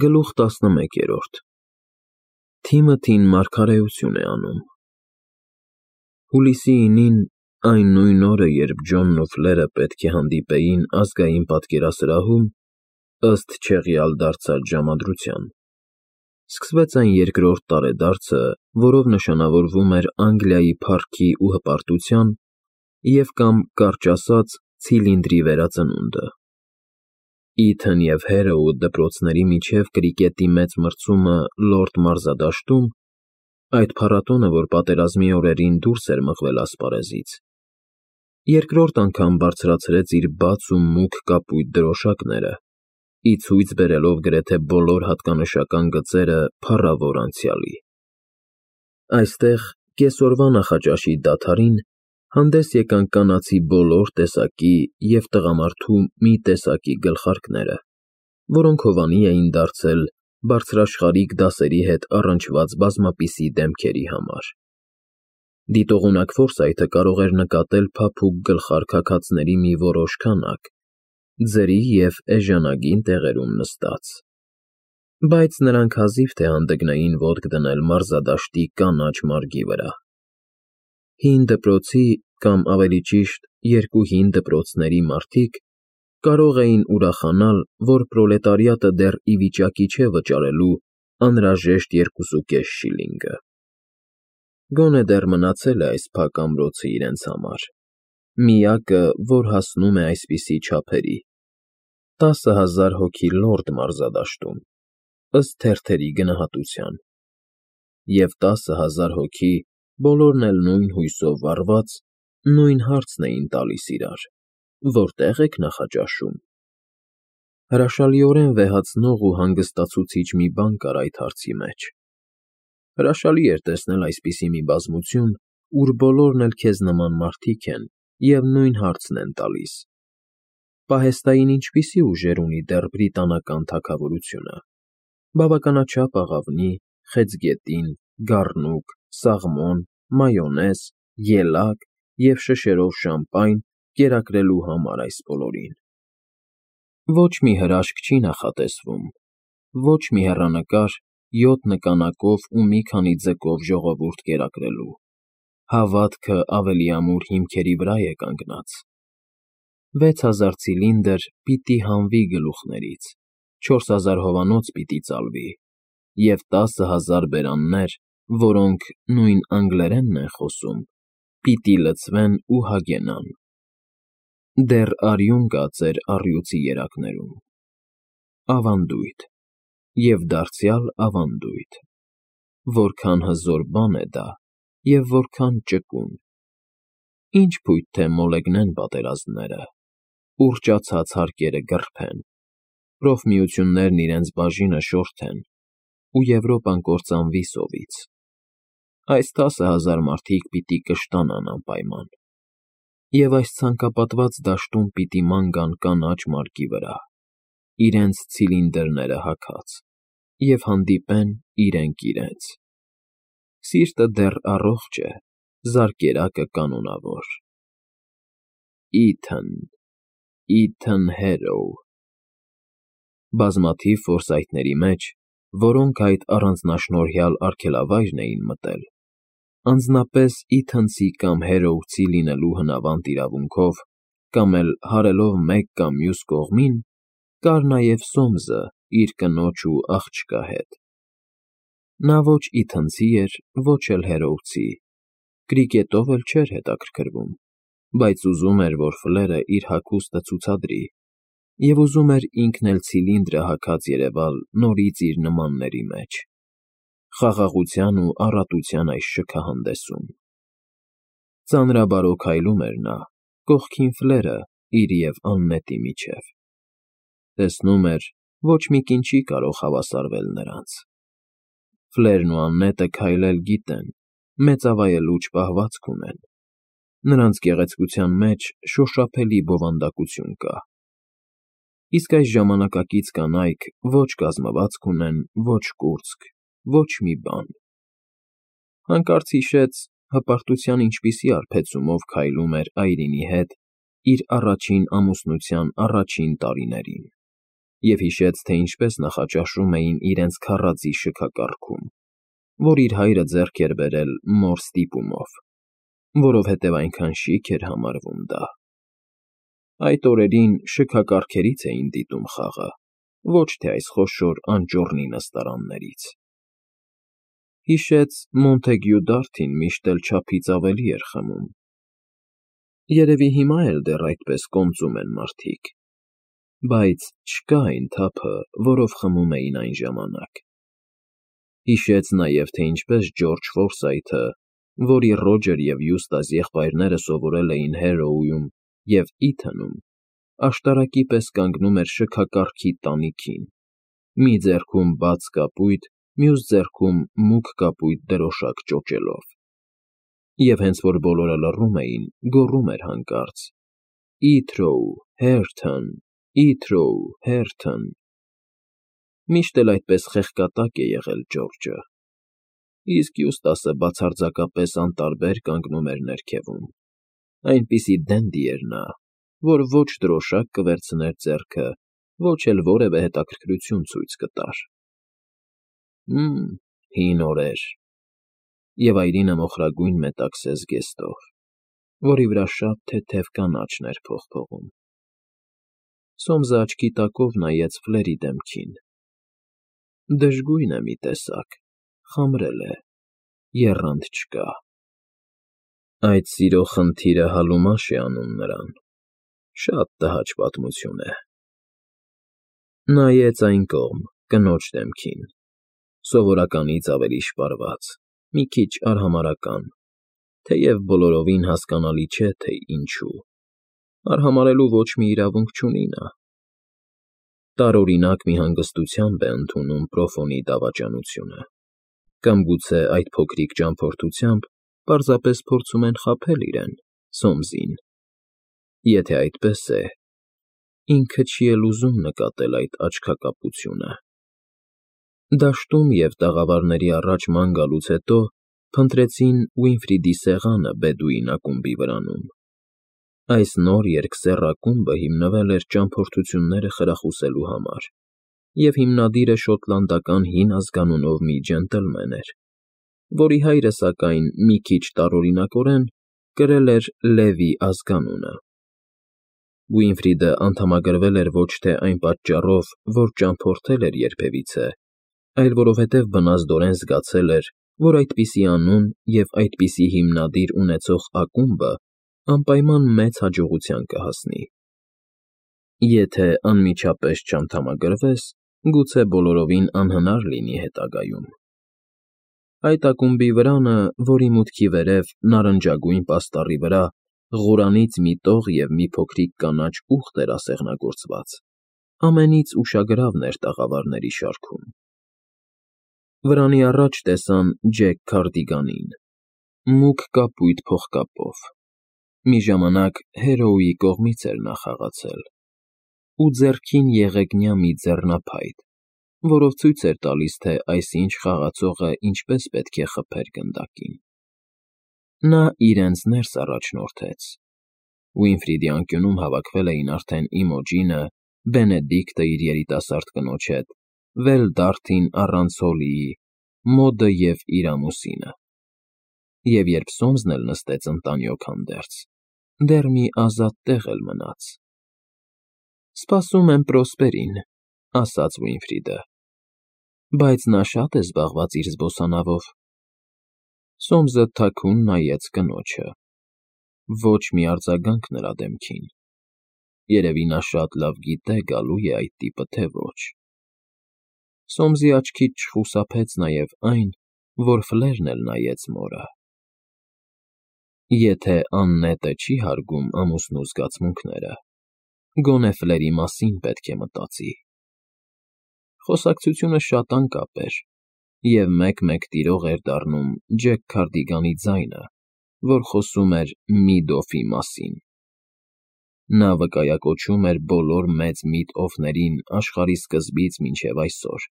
Գլուխ 11 Թիմոթին մարգարեություն է անում։ Հուլիսի 9-ին, այն նույն օրը, երբ Ջոնն ու Ֆլերը պետք է հանդիպեին ազգային պատկերասրահում, ըստ չեղյալ դարձած ժամադրության, սկսվեց այն երկրորդ տարեդարձը, որով նշանավորվում էր Անգլիայի փառքի ու հպարտության և կամ, կարճ ասած, ցիլինդրի վերածնունդը։ Իթն և Հերոու դպրոցների միջև կրիկետի մեծ մրցումը Լորդ մարզադաշտում, այդ փառատոնը, որ պատերազմի օրերին դուրս էր մղվել ասպարեզից, երկրորդ անգամ բարձրացրեց իր բաց ու մուգ կապույտ դրոշակները, ի ցույց բերելով գրեթե բոլոր հատկանշական գծերը փառավոր անցյալի։ Այստեղ, կեսօրվա նախաճաշի դադարին, հանդես եկան կանացի բոլոր տեսակի և տղամարդու մի տեսակի գլխարկները, որոնք հովանի էին դարձել բարձրաշխարհիկ դասերի հետ առնչված բազմապիսի դեմքերի համար։ Դիտողունակ Ֆորսայթը կարող էր նկատել փափուկ գլխարկ հագածների մի որոշ քանակ, ձրի և էժանագին տեղերում նստած, բայց նրանք հազիվ թե հանդգնեին ոտք դնել մարզադաշտի կանաչ մարգի վրա։ Հին դպրոցի, կամ ավելի ճիշտ, երկու հին դպրոցների մարդիկ կարող էին ուրախանալ, որ պրոլետարիատը դեռ ի վիճակի չէ վճարելու անհրաժեշտ 2.5 շիլինգը։ Գոնե դեռ մնացել է այս փակ ամրոցը իրենց համար, միակը, որ հասնում է այսպիսի չափերի, 10,000 հոգի Լորդ մարզադաշտում, ըստ թերթերի գնահատության, և 10,000 հոգի, բոլորն էլ նույն հույսով վառված, նույն հարցն էին տալիս իրար. որտե՞ղ եք նախաճաշում։ Հրաշալիորեն վեհացնող ու հանգստացուցիչ մի բան կար այդ հարցի մեջ։ Հրաշալի էր տեսնել այսպիսի մի բազմություն, ուր բոլորն էլ քեզ նման մարդիկ են և նույն հարցն են տալիս. պահեստային ինչպիսի ուժեր ունի դեռ բրիտանական թագավորությունը։ Բավականաչափ աղավնի, խեցգետին, գառնուկ, սաղմոն, մայոնեզ, ելակ և շշերով շամպայն կերակրելու համար այս բոլորին։ Ոչ մի հրաշք չի նախատեսվում, ոչ մի հեռանկար 7 նկանակով ու մի քանի ձկով ժողովուրդ կերակրելու, հավատքը ավելի ամուր հիմքերի վրա է կանգնած։ 6000 ցիլինդր պիտի հանվի գլուխներից, 4000 հովանոց պիտի ծալվի, և 10,000 բերաններ, որոնք նույն անգլերենն են խոսում, պիտի լցվեն ու հագենան։ Դեռ արյուն կա ձեր առյուծի երակներում։ Ավանդույթ, և դարձյալ ավանդույթ, որքան հզոր բան է դա և որքան ճկուն։ Ինչ փույթ թե մոլեգնեն պատերազմները, ուռճացած հարկերը գռփեն, պրոֆմիություններն իրենց բաժինը շորթեն, ու Եվրոպան կործանվի սովից։ Այս 10,000 մարդիկ պիտի կշտանան անպայման, և այս ցանկապատված դաշտում պիտի ման գան կանաչ մարգի վրա, իրենց ցիլինդրները հագած, և հանդիպեն իրենք իրենց։ Սիրտը դեռ առողջ է, զարկերակը կանոնավոր։ Իթն Հերոու։ Բազմաթիվ Ֆորսայթների մեջ, որոնք այդ առանձնաշնորհյալ արգելավայրն էին մտել, անձնապես իթնցի կամ հերոուցի լինելու հնավանդ իրավունքով, կամ էլ հարելով մեկ կամ մյուս կողմին, կար նաև Սոմսը իր կնոջ ու աղջկա հետ։ Նա ոչ իթնցի էր, ոչ էլ հերոուցի, կրիկետով էլ չէր հետաքրքրվում, բայց ուզում էր, որ Ֆլերը իր հագուստը ցուցադրի, և ուզում էր ինքն էլ ցիլինդրը հագած երևալ նորից իր նմանների մեջ, խաղաղության ու առատության այս շքահանդեսում։ Ծանրաբարո քայլում էր նա, կողքին Ֆլերը իր և Աննետի միջև։ Տեսնում էր, ոչ մի կին չի կարող հավասարվել նրանց։ Ֆլերն ու Աննետը քայլել գիտեն, մեծավայելուչ պահվածք ունեն։ Նրանց գեղեցկության մեջ շոշափելի բովանդակություն կա։ Իսկ այս ժամանակակից կանայք ոչ կազմվածք ունեն, ոչ կուրծք, ոչ մի բան։ Հանկարծ հիշեց հպարտության ինչպիսի արբեցումով քայլում էր Այրինի հետ իր առաջին ամուսնության առաջին տարիներին։ և հիշեց, թե ինչպես նախաճաշում էին իրենց քառածի շքակառքում, որ իր հայրը ձեռք էր բերել մոր ստիպումով, որովհետև այնքան շիկ էր համարվում դա։ Այդ օրերին շքակառքերից էին դիտում խաղը, ոչ թե այս խոշոր անճոռնի նստարաններից։ Հիշեց Մոնթեգյու Դարթին միշտ էլ չափից ավելի էր խմում։ Երևի հիմա էլ դեռ այդպես կոմծում են մարդիկ, բայց չկա այն թափը, որով խմում էին այն ժամանակ։ Հիշեց նաև, թե ինչպես Ջորջ Ֆորսայթը, որի Ռոջեր և Յուստաս եղբայրները սովորել էին Հարրոուում և Իթոնում, աշտարակի պես կանգնում էր շքակառքի տանիքին, մի ձեռքում բաց կապույտ, մյուս ձեռքում մուգ կապույտ դրոշակ ճոճելով, և հենց որ բոլորը լռում էին, գոռում էր հանկարծ. «Իթրոու, Հերթոն, Իթրոու, Հերթոն»։ Միշտ էլ այդպես խեղկատակ է եղել Ջորջը, իսկ Յուստասը բացարձակապես անտարբեր կանգնում էր ներքևում, այնպիսի դենդի էր նա, որ ոչ դրոշակ կվերցներ ձեռքը, ոչ էլ որևէ հետաքրքրություն ցույց կտար։ Հին օրեր, և այրինը մոխրագույն մետաքսե զգեստով, որի վրա շատ թեթև կանաչն էր փողփողում։ Սոմսը աչքի տակով նայեց Ֆլերի դեմքին։ Դժգույն է մի տեսակ, խամրել է, եռանդ չկա։ Այդ սիրո խնդիրը Հալումաշ է անում նրան, շատ տհաճ պատմություն է։ Նայեց այն կողմ, կնոջ դեմքին, սովորականից ավելի շպարված, մի քիչ արհամարհական, թեև բոլորովին հասկանալի չէ, թե ինչու, արհամարհելու ոչ մի իրավունք չունի նա։ Տարօրինակ մի հանգստությամբ է ընդունում Պրոֆոնի դավաճանությունը, կամ գուցե այդ փոքրիկ ճամփորդությամբ պարզապես փորձում են խաբել իրեն՝ Սոմսին։ Եթե այդպես է, ինքը չի էլ ուզում նկատել այդ աչքակապությունը։ Դաշտում և տաղավարների առաջ ման գալուց հետո փնտրեցին Ուինֆրիդի սեղանը Բեդուին ակումբի վրանում։ Այս նոր երկսեռ ակումբը հիմնվել էր ճամփորդությունները խրախուսելու համար, և հիմնադիրը շոտլանդական հին ազգանունով մի ջենտլմեն էր, որի հայրը, սակայն, մի քիչ տարօրինակորեն կրել էր Լևի ազգանունը։ Ուինֆրիդը անդամագրվել էր ոչ թե այն պատճառով, որ ճամփորդել էր երբևիցե, այլ որովհետև բնազդորեն զգացել էր, որ այդպիսի անուն և այդպիսի հիմնադիր ունեցող ակումբը անպայման մեծ հաջողության կհասնի։ Եթե անմիջապես չանդամագրվես, գուցե բոլորովին անհնար լինի հետագայում։ Այդ ակումբի վրանը, որի մուտքի վերև նարնջագույն պաստառի վրա Ղուրանից մի տող և մի փոքրիկ կանաչ ուղտ էր ասեղնագործված, ամենից ուշագրավն էր տաղավարների շարքում։ Վրանի առաջ տեսան Ջեք Քարդիգանին, մուգ կապույտ փողկապով, մի ժամանակ Հարրոուի կողմից էր նա խաղացել, ու ձեռքին եղեգնյա մի ձեռնափայտ, որով ցույց էր տալիս, թե այսինչ խաղացողը ինչպես պետք է խփեր գնդակին։ Նա իրենց ներս առաջնորդեց։ Ուինֆրիդի անկյունում հավաքվել էին արդեն Իմոջինը, Բենեդիկտը իր երիտասարդ կնոջ հետ, Վել Դարթին առանց Հոլիի, Մոդը և իր ամուսինը։ Եվ երբ Սոմսն էլ նստեց ընտանյոք հանդերձ, դեռ մի ազատ տեղ էլ մնաց։ «Սպասում եմ Պրոսպերին», ֊ ասաց Ուինֆրիդը։ «Բայց նա շատ է զբաղված իր զբոսանավով»։ Սոմսը թաքուն նայեց կնոջը։ Ոչ մի արձագանք նրա դեմքին։ Երևի նա շատ լավ գիտե գալու է այդ տիպը, թե ոչ։ Սոմսի աչքից չխուսափեց նաև այն, որ Ֆլերն էլ նայեց մորը։ Եթե աննետը չի հարգում ամուսնու զգացմունքները, գոնե Ֆլերի մասին պետք է մտածի։ Խոսակցությունը շատ անկապ էր, և մեկ-մեկ տիրող էր դառնում Ջեք Քարդիգանի ձայնը, որ խոսում էր Միդոֆի մասին։ Նա վկայակոչում էր բոլոր մեծ Միդ֊օֆներին աշխարհի սկզբից մինչև այսօր,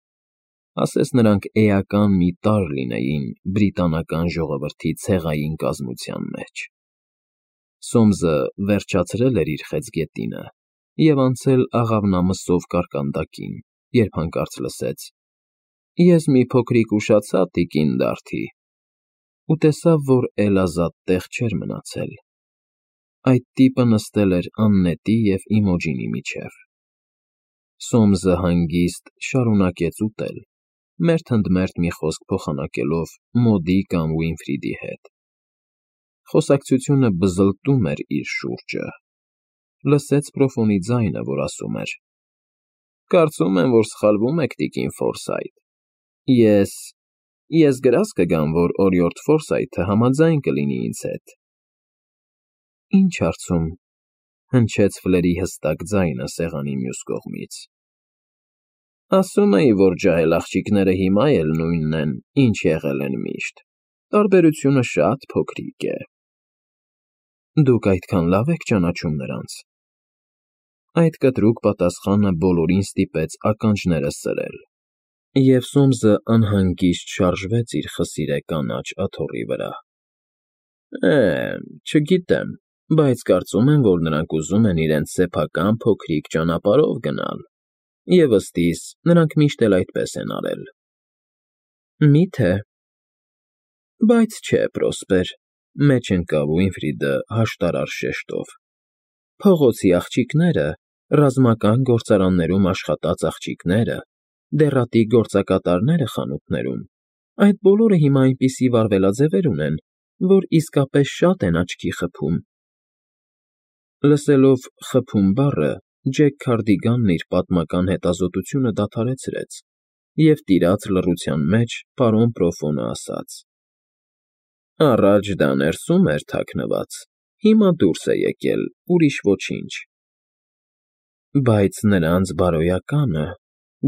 ասես նրանք էական մի տարր լինեին բրիտանական ժողովրդի ցեղային կազմության մեջ։ Սոմսը վերջացրել էր իր խեցգետինը և անցել աղավնամսով կարկանդակին, երբ հանկարծ լսեց. «Ես մի փոքրիկ ուշացա, տիկին Դարթի», ու տեսավ, որ էլ ազատ տեղ չէր մնացել. այդ տիպը նստել էր Աննետի և Իմոջինի միջև։ Սոմսը հանգիստ շարունակեց ուտել, մերթ ընդ մերթ մի խոսք փոխանակելով Մոդի կամ Ուինֆրիդի հետ։ Խոսակցությունը բզլտում էր իր շուրջը։ Լսեց Պրոֆոնի ձայնը, որ ասում էր. «Կարծում եմ, որ սխալվում եք, տիկին Ֆորսայթ։ Ես գրազ կգամ, որ օրիորդ Ֆորսայթը համաձայն կլինի ինձ հետ»։ «Ինչ հարցում», հնչեց Ֆլերի հստակ ձայնը սեղանի մյուս կողմից։ «Ասում էի, որ ջահել աղջիկները հիմա էլ նույնն են, ինչ եղել են միշտ, տարբերությունը շատ փոքրիկ է»։ «Դուք այդքան լավ եք ճանաչում նրանց»։ Այդ կտրուկ պատասխանը բոլորին ստիպեց ականջները սրել, և Սոմսը անհանգիստ շարժվեց իր խսիրե կանաչ աթոռի վրա։ Չգիտեմ, բայց կարծում եմ, որ նրանք ուզում են իրենց սեփական փոքրիկ ճանապարհով գնալ, և ըստ իս, նրանք միշտ էլ այդպես են արել»։ «Մի՞թե»։ «Բայց չէ, Պրոսպեր», մեջ ընկավ Ուինֆրիդը հաշտարար շեշտով։ «Փողոցի աղջիկները, ռազմական գործարաններում աշխատած աղջիկները, դեռատի գործակատարները խանութներում, այդ բոլորը հիմա այնպիսի վարվելաձևեր ունեն, որ իսկապես շատ են աչքի խփում»։ Լսելով «խփում» բառը, Ջեք Քարդիգանն իր պատմական հետազոտությունը դադարեցրեց և տիրաց լռության մեջ պարոն Պրոֆոնը ասաց. «Առաջ դա ներսում էր թաքնված, հիմա դուրս է եկել, ուրիշ ոչինչ»։ «Բայց նրանց բարոյականը»,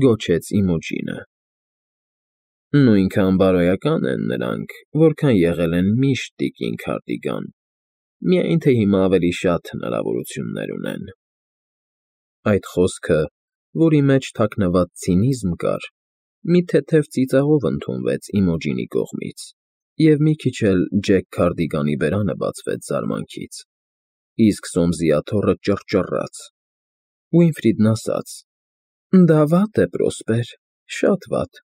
գոչեց Իմոջինը։ «Նույնքան բարոյական են նրանք, որքան եղել են միշտ, տիկին Քարդիգան, միայն թե հիմա ավելի շատ հնարավորություններ ունեն»։ Այդ խոսքը, որի մեջ թաքնված ցինիզմ կար, մի թեթև ծիծաղով ընդունվեց Իմոջինի կողմից, և մի քիչ էլ Ջեք Քարդիգանի բերանը բացվեց զարմանքից, իսկ Սոմսի աթոռը ճռճռաց։ Ուինֆրիդն ասաց. «Դա վատ է, Պրոսպեր, շատ վատ»։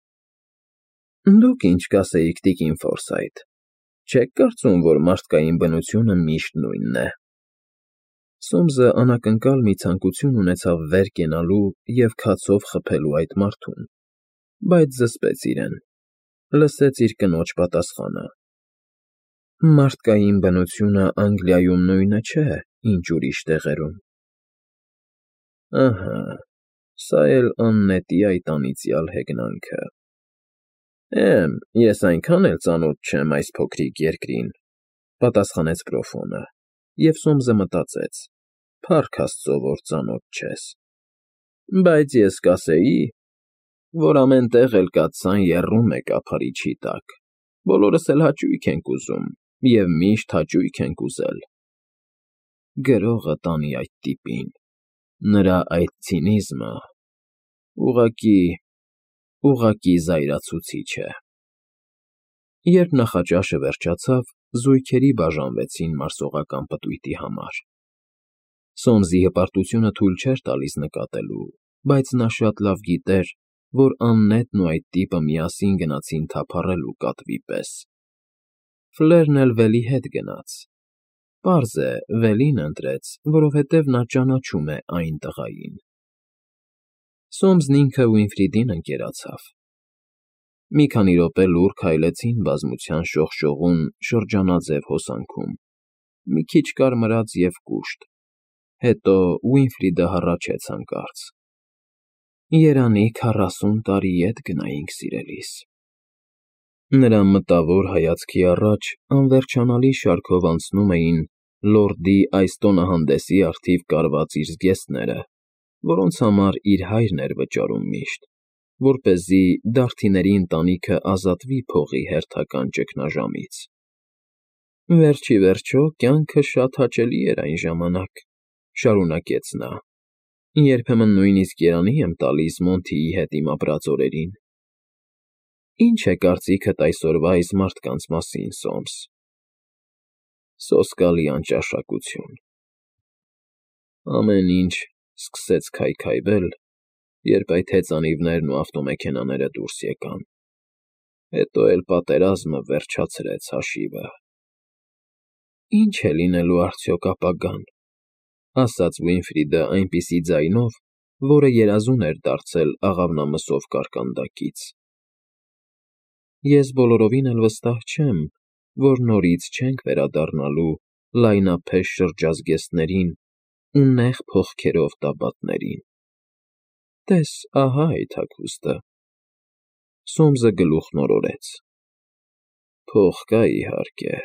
«Դուք ինչ կասեիք, տիկին Ֆորսայթ, չեք կարծում, որ մարդկային բնությունը միշտ նույնն է»։ Սոմսը անակնկալ մի ցանկություն ունեցավ վեր կենալու և քացով խփելու այդ մարդուն, բայց զսպեց իրեն, լսեց իր կնոջ պատասխանը. «Մարդկային բնությունը Անգլիայում նույնը չէ, ինչ ուրիշ տեղերում»։ Ահա, սա էլ Աննետի այդ անիծյալ հեգնանքը։ Ես այնքան էլ ծանոթ չեմ այս փոքրիկ երկրին, պատասխանեց Պրոֆոնը, և Սոմսը մտածեց. «Փառք Աստծո, որ ծանոթ չես»։ «Բայց ես կասեի, որ ամեն տեղ էլ կաթսան եռում է կափարիչի տակ, բոլորս էլ հաճույք ենք ուզում և միշտ հաճույք ենք ուզել»։ Գրողը տանի այդ տիպին, նրա այդ ցինիզմը ուղղակի զայրացուցիչ է։ Երբ նախաճաշը վերջացավ, զույգերի բաժանվեցին մարսողական պտույտի համար։ Սոմսի հպարտությունը թույլ չէր տալիս նկատելու, բայց նա շատ լավ գիտեր, որ Աննետն ու այդ տիպը միասին գնացին թափառելու կատվի պես։ Ֆլերն էլ Վելի հետ գնաց։ Պարզ է, Վելին ընտրեց, որովհետև նա ճանաչում է այն տղային։ Սոմսն ինքը Ուինֆրիդին ընկերացավ։ Մի քանի րոպե լուռ քայլեցին բազմության շողշողուն շրջանաձև հոսանքում, մի քիչ կարմրած և կուշտ, հետո Ուինֆրիդը հառաչեց հանկարծ. «Երանի 40 տարի ետ գնայինք, սիրելիս»։ Նրա մտավոր հայացքի առաջ անվերջանալի շարքով անցնում էին լորդի այս տոնահանդեսի առթիվ կարված իր զգեստները, որոնց համար իր հայրն էր վճարում միշտ, որպեսզի Դարթիների ընտանիքը ազատվի փողի հերթական ճգնաժամից։ «Վերջ ի վերջո, կյանքը շատ հաճելի էր այն ժամանակ», շարունակեց նա։ «Երբեմն նույնիսկ երանի եմ տալիս Մոնթիի հետ իմ ապրած օրերին»։ «Ի՞նչ է կարծիքդ այսօրվա այս մարդկանց մասին, Սոմս»։ Սոսկալի անճաշակություն։ Ամեն ինչ սկսեց քայքայվել, երբ այդ հեծանիվներն ու ավտոմեքենաները դուրս եկան։ Հետո էլ պատերազմը վերջացրեց հաշիվը։ Ինչ է լինելու արդյոք ապագան, ասաց Ուինֆրիդը այնպիսի ձայնով, որը երազուն էր դարձել աղավնամսով կարկանդակից։ Ես բոլորովին էլ վստահ չեմ, որ նորից չենք վերադառնալու լայնափեշ շրջազգեստներին ու նեղ փողքերով տաբատներին։ Տես, ահա այդ հագուստը։ Սոմսը գլուխն օրորեց։ Փող կա, իհարկե,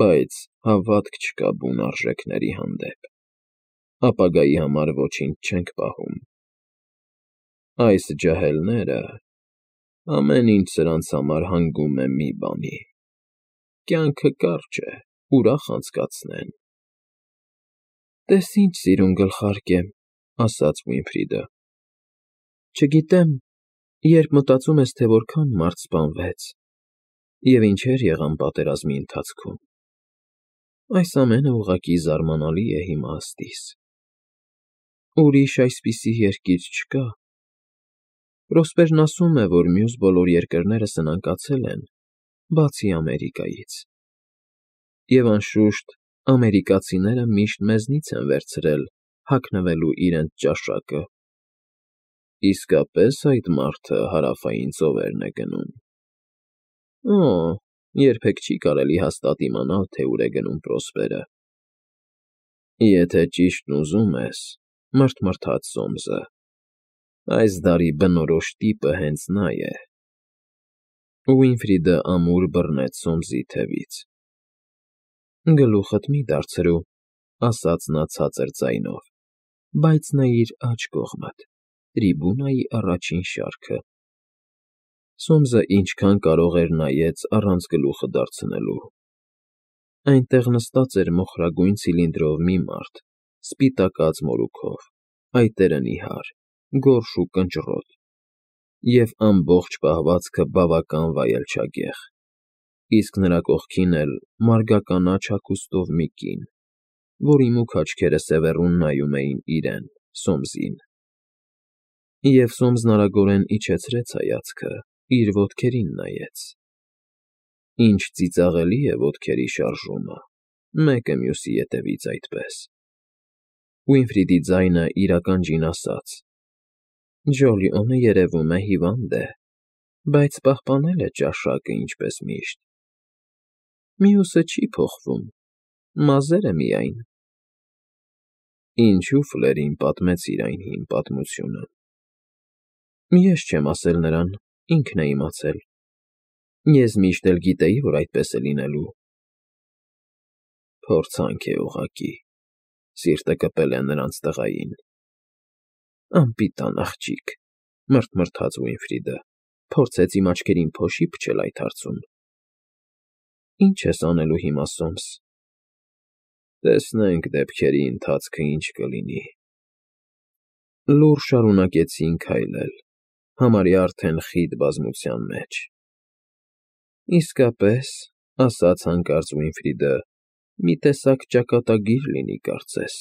բայց հավատք չկա բուն արժեքների հանդեպ։ Ապագայի համար ոչինչ չենք պահում։ Այս ջահելները, ամեն ինչ սրանց համար հանգում է մի բանի. կյանքը կարճ է, ուրախ անցկացնեն։ Տես ինչ սիրուն գլխարկ է, ասաց Ուինֆրիդը։ Չգիտեմ, երբ մտածում ես, թե որքան մարդ սպանվեց, և ինչեր եղան պատերազմի ընթացքում։ Այս ամենը ուղղակի զարմանալի է իմաստիս։ Ուրիշ այսպիսի երկիր չկա։ Պրոսպերն ասում է, որ մյուս բոլոր երկրները սնանկացել են, բացի Ամերիկայից։ Եվ անշուշտ, ամերիկացիները միշտ մեզնից են վերցրել հագնվելու իրենց ճաշակը։ Իսկապես այդ մարդը հարավային ծովերն է գնում։ Օ, երբեք չի կարելի հաստատ իմանալ, թե ուր է գնում Պրոսպերը։ Եթե ճիշտն ուզում ես, մռթմռթաց Սոմսը, այս դարի բնորոշ տիպը հենց նա է։ Ուինֆրիդը ամուր բռնեց Սոմսի թևից։ Գլուխդ մի դարձրու, ասաց նա ցածր ձայնով, բայց նայիր աջ կողմդ, տրիբունայի առաջին շարքը։ Սոմսը ինչքան կարող էր նայեց առանց գլուխը դարձնելու։ Այնտեղ նստած էր մոխրագույն ցիլինդրով մի մարդ, սպիտակած մորուքով, այտերը նիհար, գորշ ու կնճռոտ, և ամբողջ պահվածքը բավական վայելչագեղ, իսկ նրա կողքին էլ մարգականաչ հագուստով մի կին, որի մուգ աչքերը սևեռուն նայում էին իրեն՝ Սոմսին։ Եվ Սոմսն արագորեն իջեցրեց հայացքը, իր ոտքերին նայեց։ Ինչ ծիծաղելի է ոտքերի շարժումը, մեկը մյուսի ետևից այդպես։ Ուինֆրիդի ձայնը իրականջին ասաց. Ջոլիոնը երևում է հիվանդ է, բայց պահպանել է ճաշակը ինչպես միշտ։ Մյուսը չի փոխվում, մազերը միայն։ Ինչու Ֆլերին պատմեցիր այն հին պատմությունը։ Ես չեմ ասել նրան, ինքն է իմացել։ Ես միշտ էլ գիտեի, որ այդպես է լինելու։ Փորձանք է ուղղակի, սիրտը կպել է նրանց տղային։ Անպիտան աղջիկ, մռթմռթաց Ուինֆրիդը, փորձեց իմ աչքերին փոշի փչել այդ հարցում։ Ինչ ես անելու հիմա, Սոմս։ Տեսնենք դեպքերի ընթացքը ինչ կլինի։ Լուռ շարունակեցին քայլել, համարյա արդեն խիտ բազմության մեջ։ Իսկապես, ասաց հանկարծ Ուինֆրիդը, մի տեսակ ճակատագիր լինի կարծես։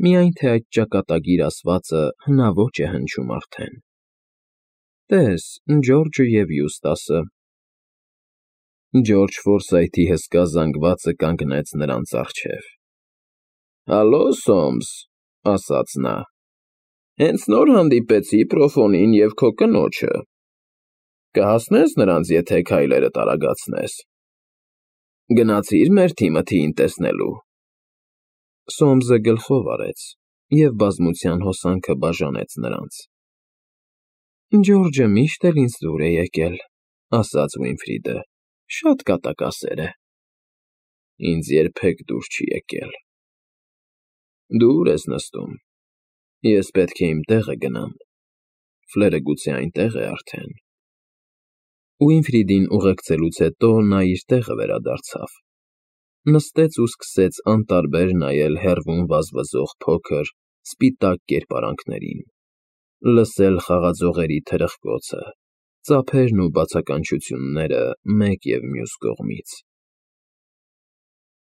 Միայն թե այդ ճակատագիր ասվածը հնաոճ է հնչում արդեն։ Տես, Ջորջը և Յուստասը։ Ջորջ Ֆորսայթի հսկա զանգվածը կանգնեց նրանց առջև։ Հալո, Սոմս, ասաց նա։ Հենց նոր հանդիպեցի Պրոֆոնին և քո կնոջը։ Կհասնես նրանց, եթե քայլերդ արագացնես։ Գնացի՞ր մեր թիմը թիին տեսնելու։ Սոմսը գլխով արեց և բազմության հոսանքը բաժանեց նրանց։ Ջորջը միշտ էլ ինձ դուր է եկել, ասաց Ուինֆրիդը, շատ կատակասեր է։ Ինձ երբեք դուր չի եկել։ Դու ուր ես նստում։ Ես պետք է իմ տեղը գնամ։ Ֆլերը գուցե այնտեղ է արդեն։ Ուինֆրիդին ուղեկցելուց հետո նա իր տեղը վերադարձավ։ Նստեց ու սկսեց անտարբեր նայել հեռվում վազվզող փոքր, սպիտակ կերպարանքներին, լսել խաղաձողերի թրխկոցը, ծափերն ու բացականչությունները մեկ և մյուս կողմից։